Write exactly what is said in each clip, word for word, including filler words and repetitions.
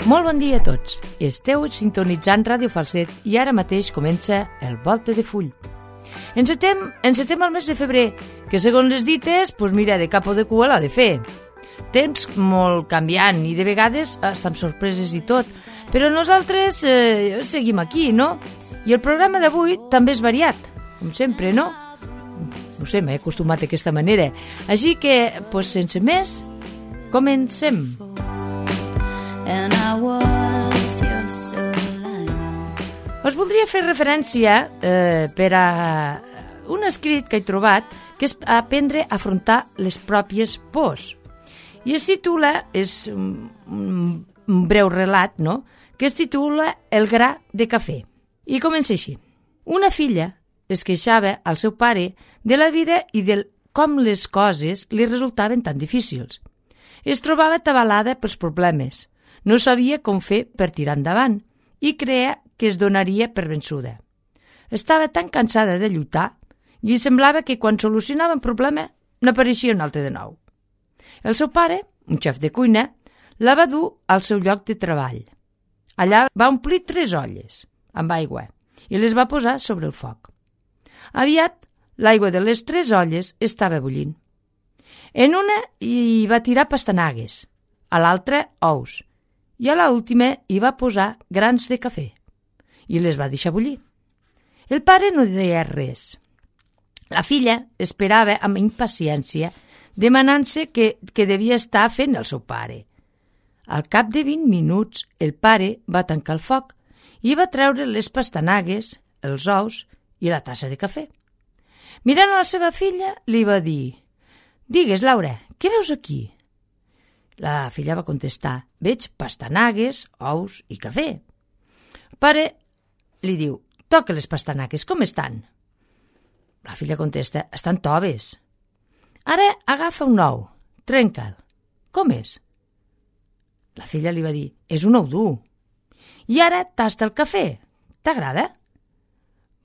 Molt bon dia a tots. Esteu sintonitzant Ràdio Falset i ara mateix comença el Volta de Full. Encetem, encetem el mes de febrer, que segons les dites, pues mira, de cap o de cua l'ha de fer. Temps molt canviant i de vegades hasta amb sorpreses i tot, però nosaltres eh, seguim aquí, no? I el programa d'avui també és variat, com sempre, no? No sé, m'he acostumat d'aquesta manera. Així que, pues, sense més, comencem. Us voldria fer referència eh, per a un escrit que he trobat, que és aprendre a afrontar les pròpies pors. I es titula, és un, un breu relat, no?, que es titula El gra de cafè. I comença així. Una filla es queixava al seu pare de la vida i de com les coses li resultaven tan difícils. Es trobava atabalada pels problemes, no sabia com fer per tirar endavant i creia que es donaria per vençuda. Estava tan cansada de lluitar i semblava que quan solucionava un problema n'apareixia un altre de nou. El seu pare, un xef de cuina, la va dur al seu lloc de treball. Allà va omplir tres olles amb aigua i les va posar sobre el foc. Aviat, l'aigua de les tres olles estava bullint. En una hi va tirar pastanagues, a l'altra ous, i a l'última hi va posar grans de cafè, i les va deixar bullir. El pare no deia res. La filla esperava amb impaciència, demanant-se què, què devia estar fent el seu pare. Al cap de vint minuts, el pare va tancar el foc i va treure les pastanagues, els ous i la tassa de cafè. Mirant a la seva filla, li va dir: «Digues, Laura, què veus aquí?» La filla va contestar: «Veig pastanagues, ous i cafè». El pare li diu: «Toca les pastanagues, com estan?» La filla contesta: «Estan toves». «Ara agafa un ou, trenca'l. Com és?» La filla li va dir: «És un ou dur». «I ara tasta el cafè. T'agrada?»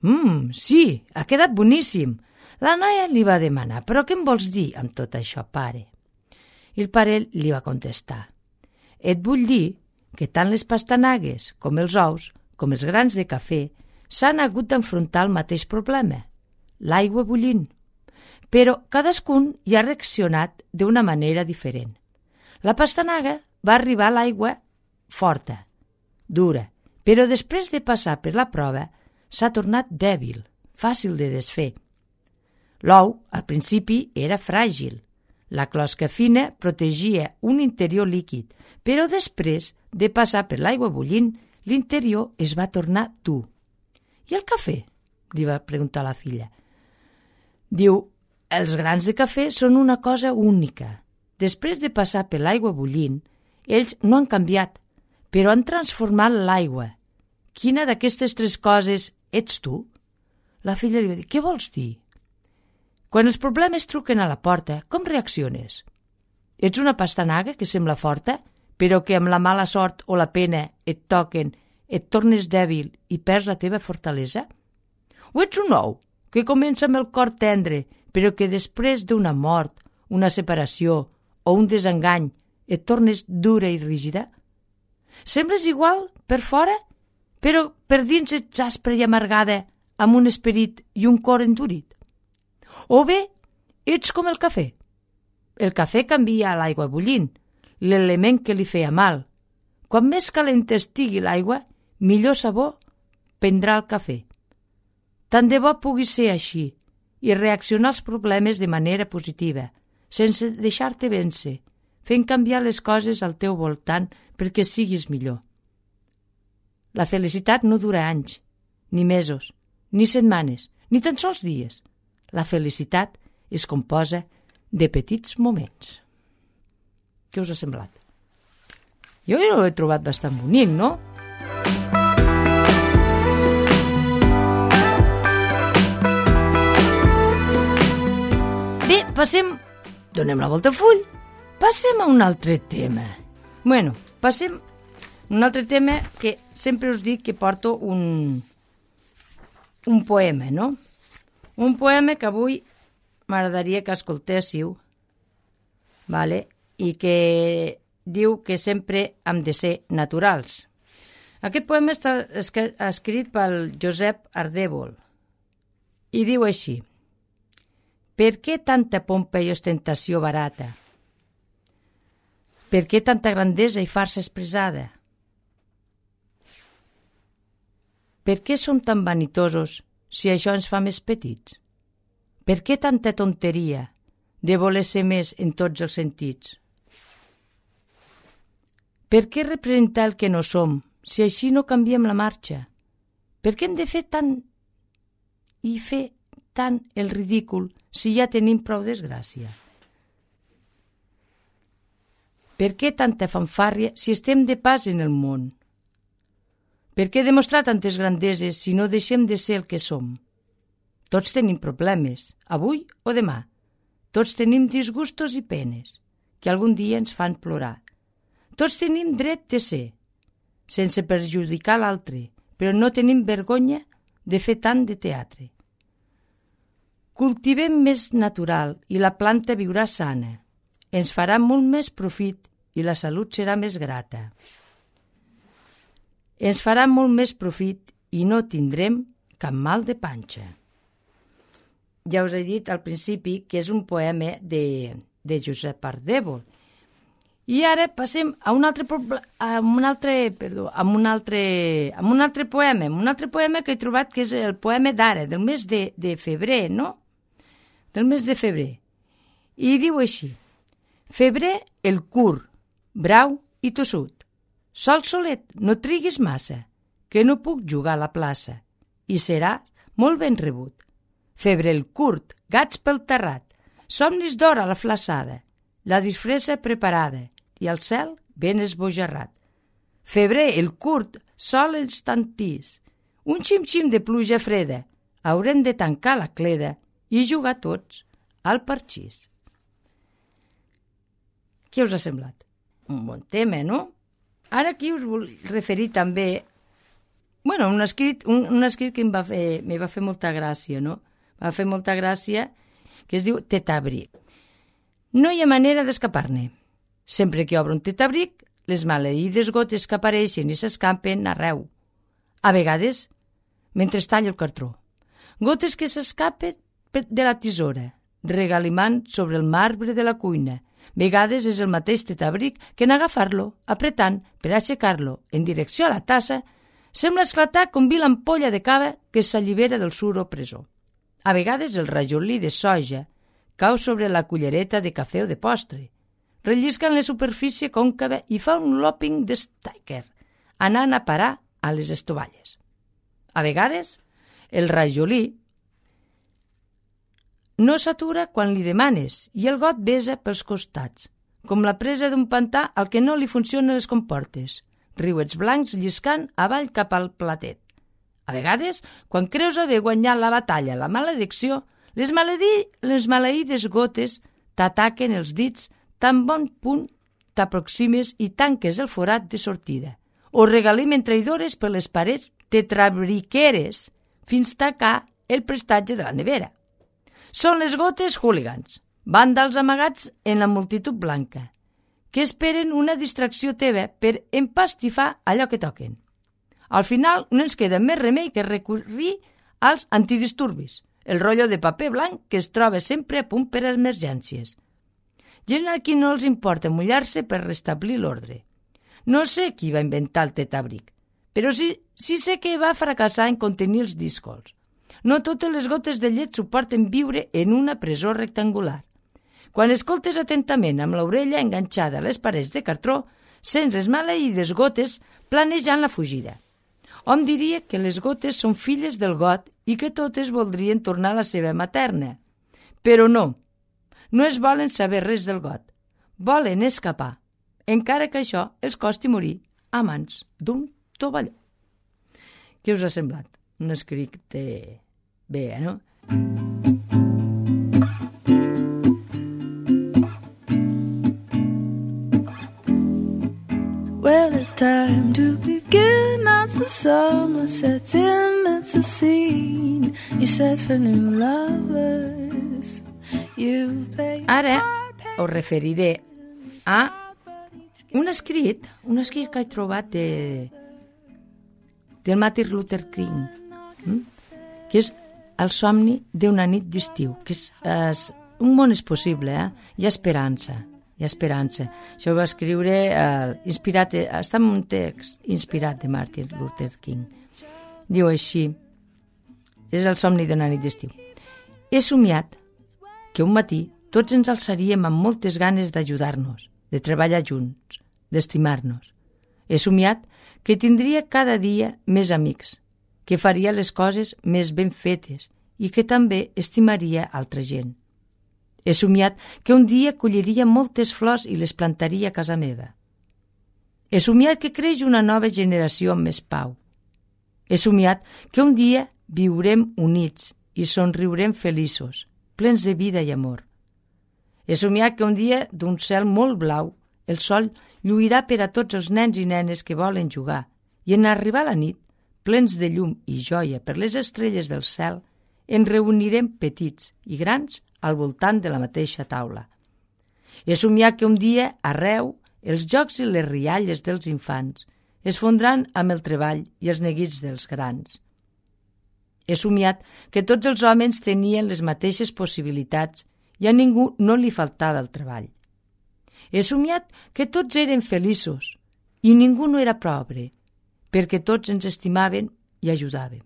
«Mmm, sí, ha quedat boníssim». La noia li va demanar: «Però què em vols dir amb tot això, pare?» I el pare li va contestar: «Et vull dir que tant les pastanagues com els ous, com els grans de cafè, s'han hagut d'enfrontar al mateix problema, l'aigua bullint. Però cadascun hi ha reaccionat d'una manera diferent. La pastanaga va arribar a l'aigua forta, dura, però després de passar per la prova s'ha tornat dèbil, fàcil de desfer. L'ou, al principi, era fràgil. La closca fina protegia un interior líquid, però després de passar per l'aigua bullint, l'interior es va tornar dur. «I el cafè?», li va preguntar la filla. Diu: «Els grans de cafè són una cosa única. Després de passar per l'aigua bullint, ells no han canviat, però han transformat l'aigua. Quina d'aquestes tres coses ets tu?» La filla li va dir: «Què vols dir?» «Quan els problemes truquen a la porta, com reacciones? Ets una pastanaga que sembla forta, però que amb la mala sort o la pena et toquen, et tornes dèbil i perds la teva fortalesa? O ets un ou que comença amb el cor tendre, però que després d'una mort, una separació o un desengany et tornes dura i rígida? Sembles igual per fora, però per dins ets aspra i amargada, amb un esperit i un cor endurit? O bé, ets com el cafè. El cafè canvia a l'aigua bullint, l'element que li feia mal. Quan més calenta estigui l'aigua, millor sabor prendrà el cafè. Tant de bo pugui ser així i reaccionar als problemes de manera positiva, sense deixar-te vèncer, fent canviar les coses al teu voltant perquè siguis millor. La felicitat no dura anys, ni mesos, ni setmanes, ni tan sols dies. La felicitat es composa de petits moments. Què us ha semblat? Jo ho he trobat bastant bonic, no? Bé, passem... Donem la volta al full. Passem a un altre tema. Bueno, passem a un altre tema que sempre us dic que porto un... un poema, no? Un poema que avui m'agradaria que escoltéssiu, vale? I que diu que sempre hem de ser naturals. Aquest poema està escrit pel Josep Ardèvol i diu així: per què tanta pompa i ostentació barata? Per què tanta grandesa i farsa expressada? Per què som tan vanitosos si això ens fa més petits? Per què tanta tonteria de voler ser més en tots els sentits? Per què representar el que no som si així no canviem la marxa? Per què hem de fer tant i fer tant el ridícul si ja tenim prou desgràcia? Per què tanta fanfàrria si estem de pas en el món? Per què demostrar tantes grandeses si no deixem de ser el que som? Tots tenim problemes, avui o demà. Tots tenim disgustos i penes, que algun dia ens fan plorar. Tots tenim dret de ser, sense perjudicar l'altre, però no tenim vergonya de fer tant de teatre. Cultivem més natural i la planta viurà sana. Ens farà molt més profit i la salut serà més grata. Ens farà molt més profit i no tindrem cap mal de panxa. Ja us he dit al principi que és un poema de, de Josep Ardèvol. I ara passem a un altre, a un altre, perdó, a un altre, a un altre poema, un altre poema que he trobat que és el poema d'ara, del mes de, de febrer, no? Del mes de febrer. I diu així: febrer el curt, brau i tossut. Sol solet, no triguis massa, que no puc jugar a la plaça, i serà molt ben rebut. Febre el curt, gats pel terrat, somnis d'hora a la flaçada, la disfressa preparada i el cel ben esbojarrat. Febrer el curt, sol instantís, un xim-xim de pluja freda, haurem de tancar la cleda i jugar tots al parxís. Què us ha semblat? Un bon tema, no? Ara aquí us vull referir també, bueno, un escrit, un, un escrit que em va fer, me va fer molta gràcia, no? Va fer molta gràcia, que es diu Tetabric. No hi ha manera d'escapar-ne. Sempre que obre un tetabric, les maleïdes gotes que apareixen i s'escampen arreu. A vegades, mentre talla el cartró. Gotes que s'escapen de la tisora, regalimant sobre el marbre de la cuina. Vegades és el mateix tetabric que en agafar-lo, apretant per aixecar-lo en direcció a la tassa, sembla esclatar com vil ampolla de cava que s'allibera del sur opressor. A vegades el rajolí de soja cau sobre la cullereta de cafè o de postre, rellisca en la superfície còncava i fa un lopping de stèquer, anant a parar a les estovalles. A vegades, el rajolí no s'atura quan li demanes i el got besa pels costats, com la presa d'un pantà al que no li funcionen les comportes, riuets blancs lliscant avall cap al platet. A vegades, quan creus haver guanyat la batalla, la maledicció, les, maledí, les maleïdes gotes t'ataquen els dits tan bon punt t'aproximes i tanques el forat de sortida, o regalimen traïdores per les parets tetrabriqueres fins tacar el prestatge de la nevera. Són les gotes hooligans, vàndals amagats en la multitud blanca, que esperen una distracció teva per empastifar allò que toquen. Al final no ens queda més remei que recurrir als antidisturbis, el rotllo de paper blanc que es troba sempre a punt per a emergències. Gent a qui no els importa mullar-se per restablir l'ordre. No sé qui va inventar el tetabric, però sí, sí sé que va fracassar en contenir els díscols. No totes les gotes de llet suporten viure en una presó rectangular. Quan escoltes atentament amb l'orella enganxada a les parets de cartró, sents les maleïdes gotes planejant la fugida. Hom diria que les gotes són filles del got i que totes voldrien tornar a la seva materna. Però no, no es volen saber res del got. Volen escapar, encara que això els costi morir a mans d'un tovalló. Què us ha semblat? Un escrit bé, eh, no? Well, it's time to begin as the summer sets in. It's a scene you set for new lovers. You play Ara us referiré a un escrit, un escrit que he trobat de, del Martin Luther King, hm? que és El somni d'una nit d'estiu, que és, és un món és possible, eh? Hi ha esperança, hi ha esperança. Això ho va escriure, eh, inspirat, està en un text inspirat de Martin Luther King. Diu així, és el somni d'una nit d'estiu. He somiat que un matí tots ens alçaríem amb moltes ganes d'ajudar-nos, de treballar junts, d'estimar-nos. He somiat que tindria cada dia més amics, que faria les coses més ben fetes i que també estimaria altra gent. He somiat que un dia colliria moltes flors i les plantaria a casa meva. He somiat que creix una nova generació amb més pau. He somiat que un dia viurem units i somriurem feliços, plens de vida i amor. He somiat que un dia, d'un cel molt blau, el sol lluirà per a tots els nens i nenes que volen jugar i en arribar la nit, plens de llum i joia per les estrelles del cel, ens reunirem petits i grans al voltant de la mateixa taula. He somiat que un dia, arreu, els jocs i les rialles dels infants es fondran amb el treball i els neguits dels grans. He somiat que tots els homes tenien les mateixes possibilitats i a ningú no li faltava el treball. He somiat que tots eren feliços i ningú no era pobre, perquè tots ens estimaven i ajudàvem.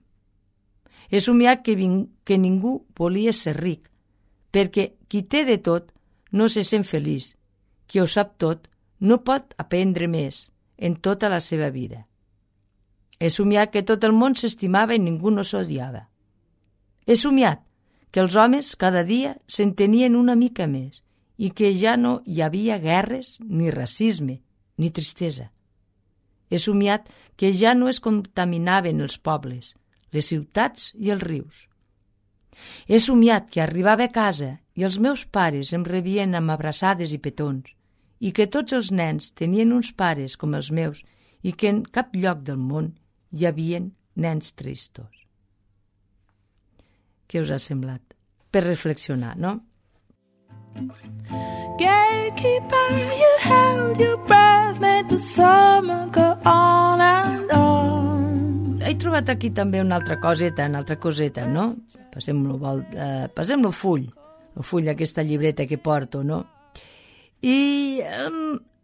He somiat que, ving, que ningú volia ser ric, perquè qui té de tot no se sent feliç, qui ho sap tot no pot aprendre més en tota la seva vida. He somiat que tot el món s'estimava i ningú no s'odiava. He somiat que els homes cada dia s'entenien una mica més i que ja no hi havia guerres, ni racisme, ni tristesa. He somiat que ja no es contaminaven els pobles, les ciutats i els rius. He somiat que arribava a casa i els meus pares em rebien amb abraçades i petons i que tots els nens tenien uns pares com els meus i que en cap lloc del món hi havia nens tristos. Què us ha semblat? Per reflexionar, no? Gatekeeper, you held your breath, made the summer go on and on. He trobat aquí també una altra coseta, una altra coseta, no? Passem-lo eh, passem full, el full d'aquesta llibreta que porto, no? I eh,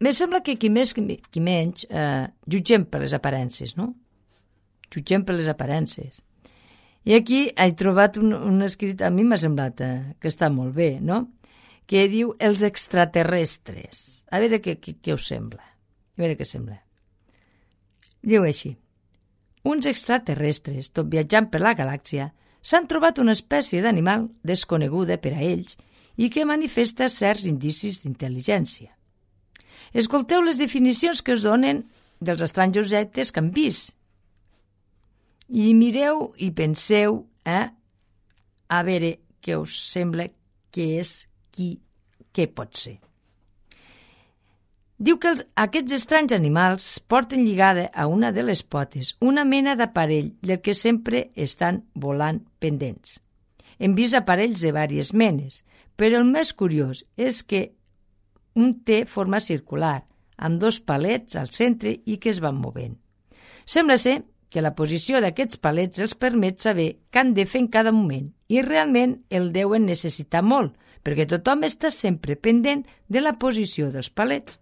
me sembla que qui més, qui menys, eh, jutgem per les aparences, no? Jutgem per les aparences. I aquí he trobat un, un escrit, a mi m'ha semblat eh, que està molt bé, no? Que diu els extraterrestres. A veure què, què, què us sembla. A veure què sembla. Diu així. Uns extraterrestres, tot viatjant per la galàxia, s'han trobat una espècie d'animal desconeguda per a ells i que manifesta certs indicis d'intel·ligència. Escolteu les definicions que us donen dels estranys objectes que han vist. I mireu i penseu eh, a veure què us sembla que és qui, què pot ser. Diu que els, aquests estranys animals porten lligada a una de les potes una mena d'aparell del que sempre estan volant pendents. Hem vist aparells de diverses menes, però el més curiós és que un té forma circular, amb dos palets al centre i que es van movent. Sembla ser que la posició d'aquests palets els permet saber què han de fer en cada moment i realment el deuen necessitar molt, perquè tothom està sempre pendent de la posició dels palets.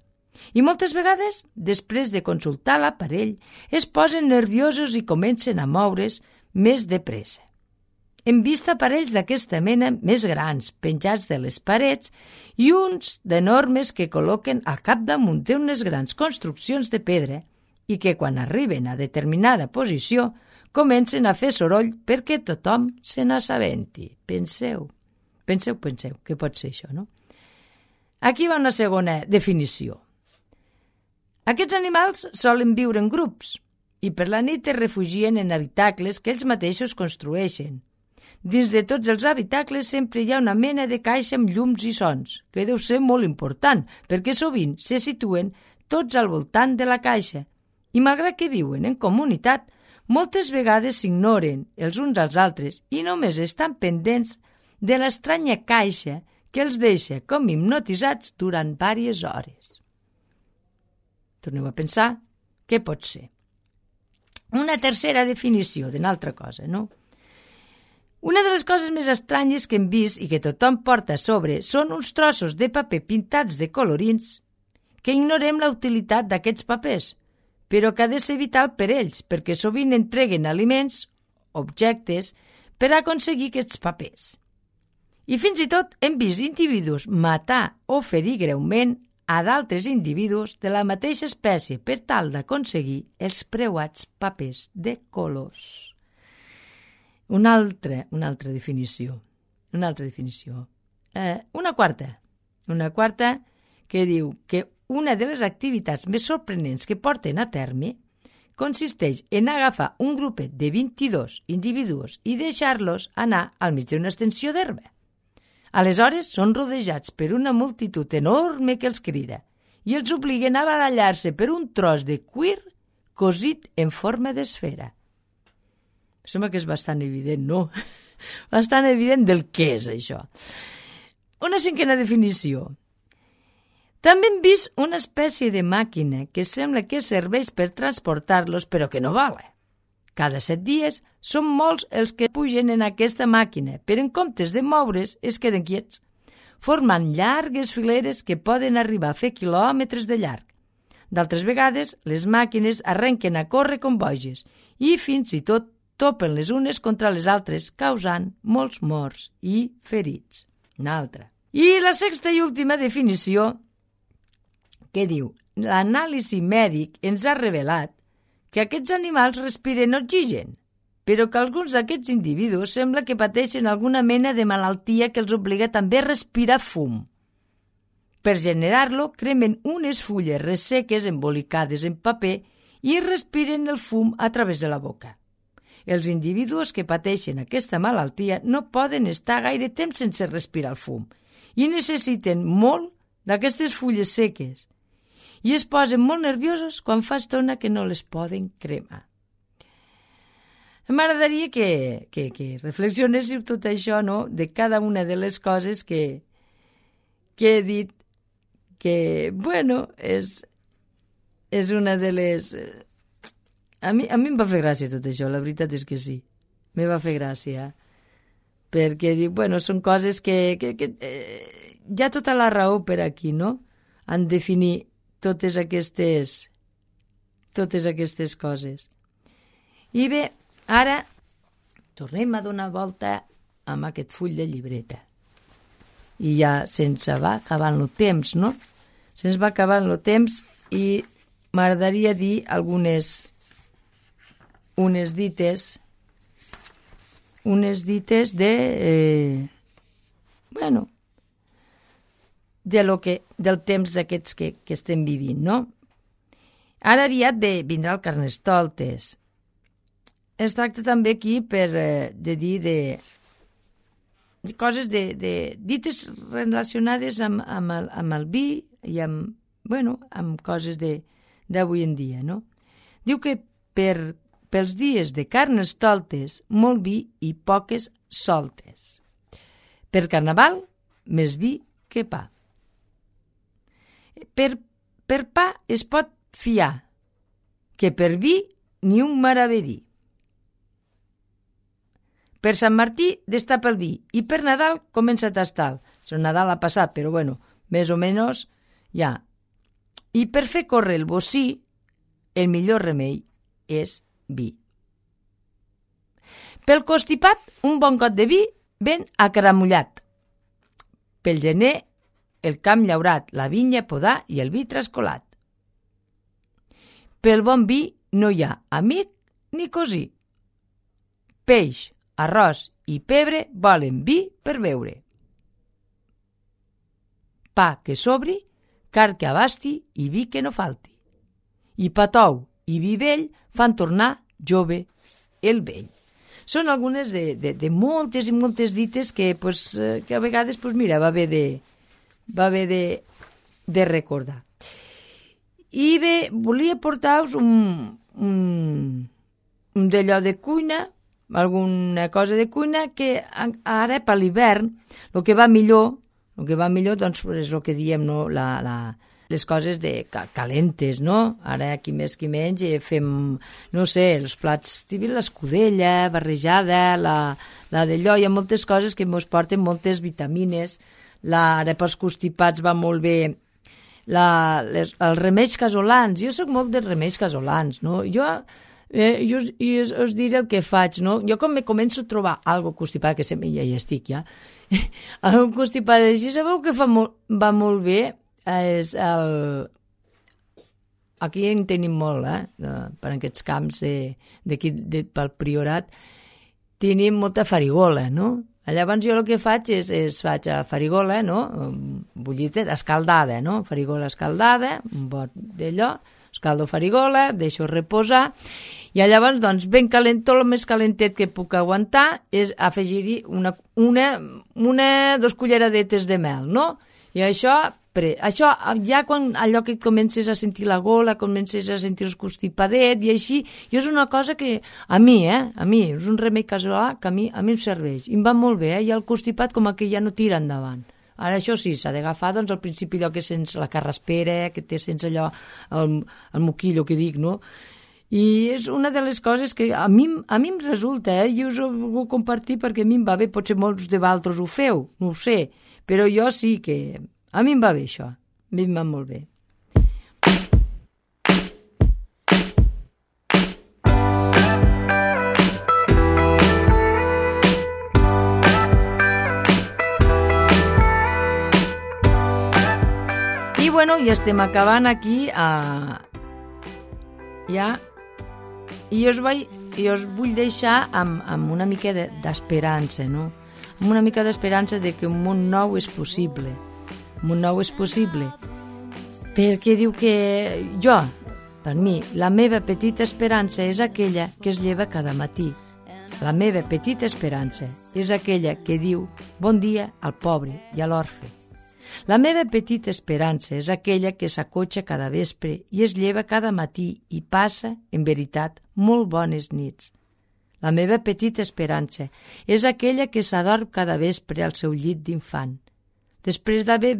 I moltes vegades, després de consultar l'aparell, es posen nerviosos i comencen a moure's més de pressa. Hem vist aparells d'aquesta mena més grans, penjats de les parets, i uns d'enormes que col·loquen al capdamunt d'unes grans construccions de pedra i que quan arriben a determinada posició comencen a fer soroll perquè tothom se n'assabenti. Penseu, penseu, penseu, què pot ser això, no? Aquí va una segona definició. Aquests animals solen viure en grups i per la nit es refugien en habitacles que ells mateixos construeixen. Dins de tots els habitacles sempre hi ha una mena de caixa amb llums i sons, que deu ser molt important, perquè sovint se situen tots al voltant de la caixa i malgrat que viuen en comunitat, moltes vegades s'ignoren els uns als altres i només estan pendents de l'estranya caixa que els deixa com hipnotitzats durant diverses hores. Torneu a pensar què pot ser. Una tercera definició d'una altra cosa, no? Una de les coses més estranyes que hem vist i que tothom porta a sobre són uns trossos de paper pintats de colorins que ignorem la utilitat d'aquests papers, però que ha de ser vital per ells, perquè sovint entreguen aliments, objectes, per aconseguir aquests papers. I fins i tot hem vist individus matar o ferir greument a d'altres individus de la mateixa espècie per tal d'aconseguir els preuats papers de colors. Una altra, una altra definició. Una altra definició. Eh, una quarta. Una quarta que diu que una de les activitats més sorprenents que porten a terme consisteix en agafar un grupet de vint-i-dos individus i deixar-los anar al mig d'una extensió d'herba. Aleshores són rodejats per una multitud enorme que els crida i els obliguen a barallar-se per un tros de cuir cosit en forma d'esfera. Sembla que és bastant evident, no? Bastant evident del què és això. Una cinquena definició. També hem vist una espècie de màquina que sembla que serveix per transportar-los, però que no vola. Cada set dies són molts els que pugen en aquesta màquina, però en comptes de moure's es queden quiets, formant llargues fileres que poden arribar a fer quilòmetres de llarg. D'altres vegades, les màquines arrenquen a córrer com boges i fins i tot topen les unes contra les altres, causant molts morts i ferits. Una altra. I la sexta i última definició, que diu: l'anàlisi mèdic ens ha revelat que aquests animals respiren oxigen, però que alguns d'aquests individus sembla que pateixen alguna mena de malaltia que els obliga també a respirar fum. Per generar-lo, cremen unes fulles resseques embolicades en paper i respiren el fum a través de la boca. Els individus que pateixen aquesta malaltia no poden estar gaire temps sense respirar el fum i necessiten molt d'aquestes fulles seques i es posen molt nerviosos quan fa estona que no les poden cremar. M'agradaria que, que, que reflexionéssiu tot això, no?, de cada una de les coses que, que he dit, que, bueno, és, és una de les... A mi, a mi em va fer gràcia tot això, la veritat és que sí. Me va fer gràcia. Perquè dic, bueno, són coses que... que, que eh, hi ha tota la raó per aquí, no?, en definir totes aquestes, totes aquestes coses. I bé, ara tornem a donar volta amb aquest full de llibreta. I ja se'ns va acabant el temps, no? Se'ns va acabant el temps i m'agradaria dir algunes unes dites unes dites de eh, bueno de lo que, del temps aquests que, que estem vivint, no? Ara aviat ve, vindrà el Carnestoltes. Es tracta també aquí per, eh, de dir de, de coses, de, de dites relacionades amb, amb, el, amb el vi i amb, bueno, amb coses d'avui en dia, no? Diu que per, pels dies de Carnestoltes, molt vi i poques soltes. Per Carnaval, més vi que pa. Per, per pa es pot fiar, que per vi ni un maravedí. Per Sant Martí destapa el vi i per Nadal comença a tastar-lo. El Nadal ha passat, però bueno, més o menys ja. I per fer córrer el bocí, el millor remei és vi. Pel constipat, un bon got de vi ben acaramullat. Pel gener, el camp llaurat, la vinya podar i el vi trascolat. Pel bon vi no hi ha amic ni cosí. Peix, arròs i pebre volen vi per beure. Pa que sobri, car que abasti i vi que no falti. I pa tou i vi vell fan tornar jove el vell. Són algunes de, de, de moltes i moltes dites que, pues, que a vegades pues, mira, va bé de, va bé de, de recordar. I bé, volia portar-vos un, un, un d'allò de cuina, alguna cosa de cuina que ara per l'hivern el que va millor, el que va millor doncs és el que diem, no? la, la, les coses de calentes, no? Ara, qui més qui menys, eh, fem, no sé, els plats típics, l'escudella barrejada, la, la d'allò, hi ha moltes coses que ens porten moltes vitamines. La, ara pels constipats va molt bé la, les, els remeis casolans. Jo sóc molt dels remeis casolans, no? Jo, eh, jo, us, jo us, us diré el que faig, no? Jo com me començo a trobar algo constipat, que sempre ja hi estic, ja, algo constipat, així sabeu que fa molt, va molt bé? És el... Aquí en tenim molt, eh? Per aquests camps d'aquí, de, pel Priorat, tenim molta farigola, no? Llavors jo el que faig és, és faig a farigola, no? Bullita, escaldada, no? Farigola escaldada, un bot d'allò, escaldo farigola, deixo reposar, i llavors, doncs, ben calent, tot el més calentet que puc aguantar és afegir-hi una, una, una, dos culleradetes de mel, no? I això... Això, ja quan allò que comences a sentir la gola, comences a sentir el constipadet i així, i és una cosa que a mi, eh, a mi, és un remei casolà que a mi, a mi em serveix, i em va molt bé, eh, i el constipat com que ja no tira endavant. Ara això sí, s'ha d'agafar, doncs, al principi allò que sents la carraspera, que té sense allò, el, el moquillo que dic, no? I és una de les coses que a mi, a mi em resulta, eh, i us ho vull compartir perquè a mi em va bé, potser molts de vosaltres ho feu, no ho sé, però jo sí que... A mi em va bé això, a mi em va molt bé. I bueno, ja estem acabant aquí a... ja, i us, vaig, i us vull deixar amb, amb una mica d'esperança, no? Amb una mica d'esperança de que un món nou és possible. Un món nou és possible, perquè diu que jo, per mi, la meva petita esperança és aquella que es lleva cada matí. La meva petita esperança és aquella que diu bon dia al pobre i a l'orfe. La meva petita esperança és aquella que s'acotxa cada vespre i es lleva cada matí i passa, en veritat, molt bones nits. La meva petita esperança és aquella que s'adorm cada vespre al seu llit d'infant. Després d'haver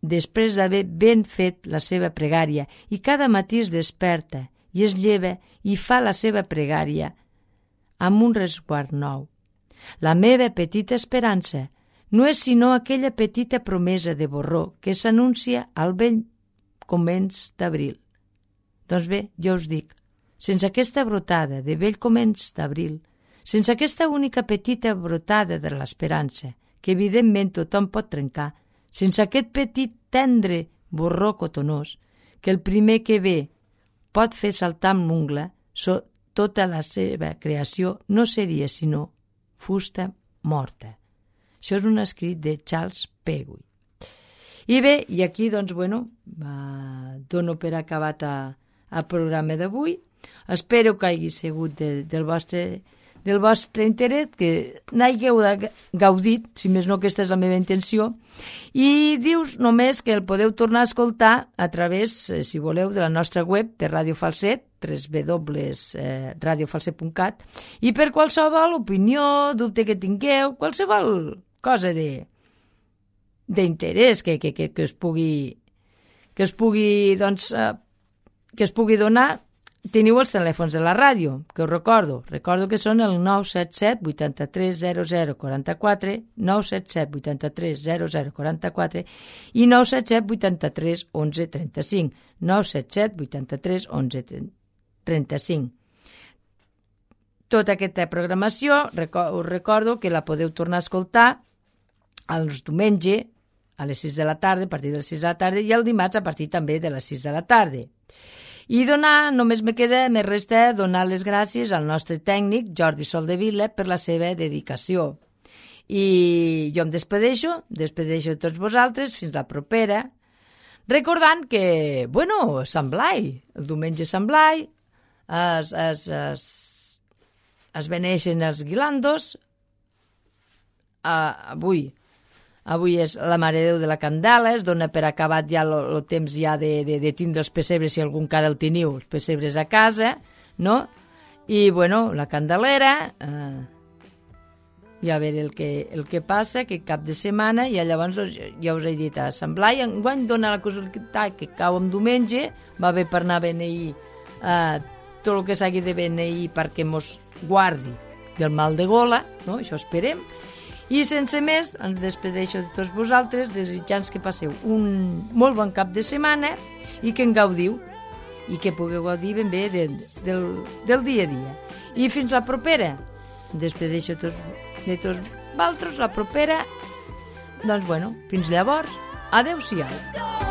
després d'haver ben fet la seva pregària i cada matí es desperta i es lleva i fa la seva pregària amb un resguard nou. La meva petita esperança no és sinó aquella petita promesa de borró que s'anuncia al vell començ d'abril. Doncs bé, jo us dic, sense aquesta brotada de vell començ d'abril, sense aquesta única petita brotada de l'esperança, que evidentment tothom pot trencar, sense aquest petit tendre borró cotonós, que el primer que ve pot fer saltar amb l'ungla, so, tota la seva creació no seria sinó fusta morta. Això és un escrit de Charles Peggy. I bé, i aquí, doncs, bueno, eh, dono per acabat el programa d'avui. Espero que hagi sigut de, del vostre... del vostre interès, que n'hagueu gaudit, si més no aquesta és la meva intenció, i dius només que el podeu tornar a escoltar a través, si voleu, de la nostra web de Ràdio Falset, w w w punt radio falset punt cat, i per qualsevol opinió, dubte que tingueu, qualsevol cosa de d'interès que, que, que, que us pugui que us pugui, doncs, eh, que us pugui donar. Teniu els telèfons de la ràdio, que us recordo. Recordo que són el nou set set vuitanta-tres zero zero quaranta-quatre, nou set set vuitanta-tres zero zero quaranta-quatre i nou set set vuitanta-tres onze trenta-cinc, nou set set vuitanta-tres onze trenta-cinc. Tota aquesta programació, us recordo que la podeu tornar a escoltar els diumenge a les sis de la tarda, a partir de les sis de la tarda, i el dimarts a partir també de les sis de la tarda. I donar, només me queda, me resta donar les gràcies al nostre tècnic, Jordi Soldevila, per la seva dedicació. I jo em despedeixo, despedeixo a tots vosaltres, fins la propera, recordant que, bueno, Sant Blai, el diumenge Sant Blai, es, es, es, es beneixen els guilandos, uh, avui, Avui és la Mare de Déu de la Candela, es dona per acabat ja el temps ja de, de, de tindre els pessebres, si algun cara el teniu, els pessebres a casa, no? I, bueno, la Candelera, eh, i a veure el que, el que passa, que cap de setmana, i llavors doncs, ja us he dit a Sant Blai, enguany dona la casualitat que cau en diumenge, va bé per anar a beneir eh, tot el que s'hagi de beneir perquè mos guardi del mal de gola, no? Això esperem. I sense més, ens despedeixo de tots vosaltres, desitjant que passeu un molt bon cap de setmana i que en gaudiu, i que pugueu gaudir ben bé de, del, del dia a dia. I fins la propera. Despedeixo tots, de tots vosaltres, la propera. Doncs bueno, fins llavors, adeu-siau.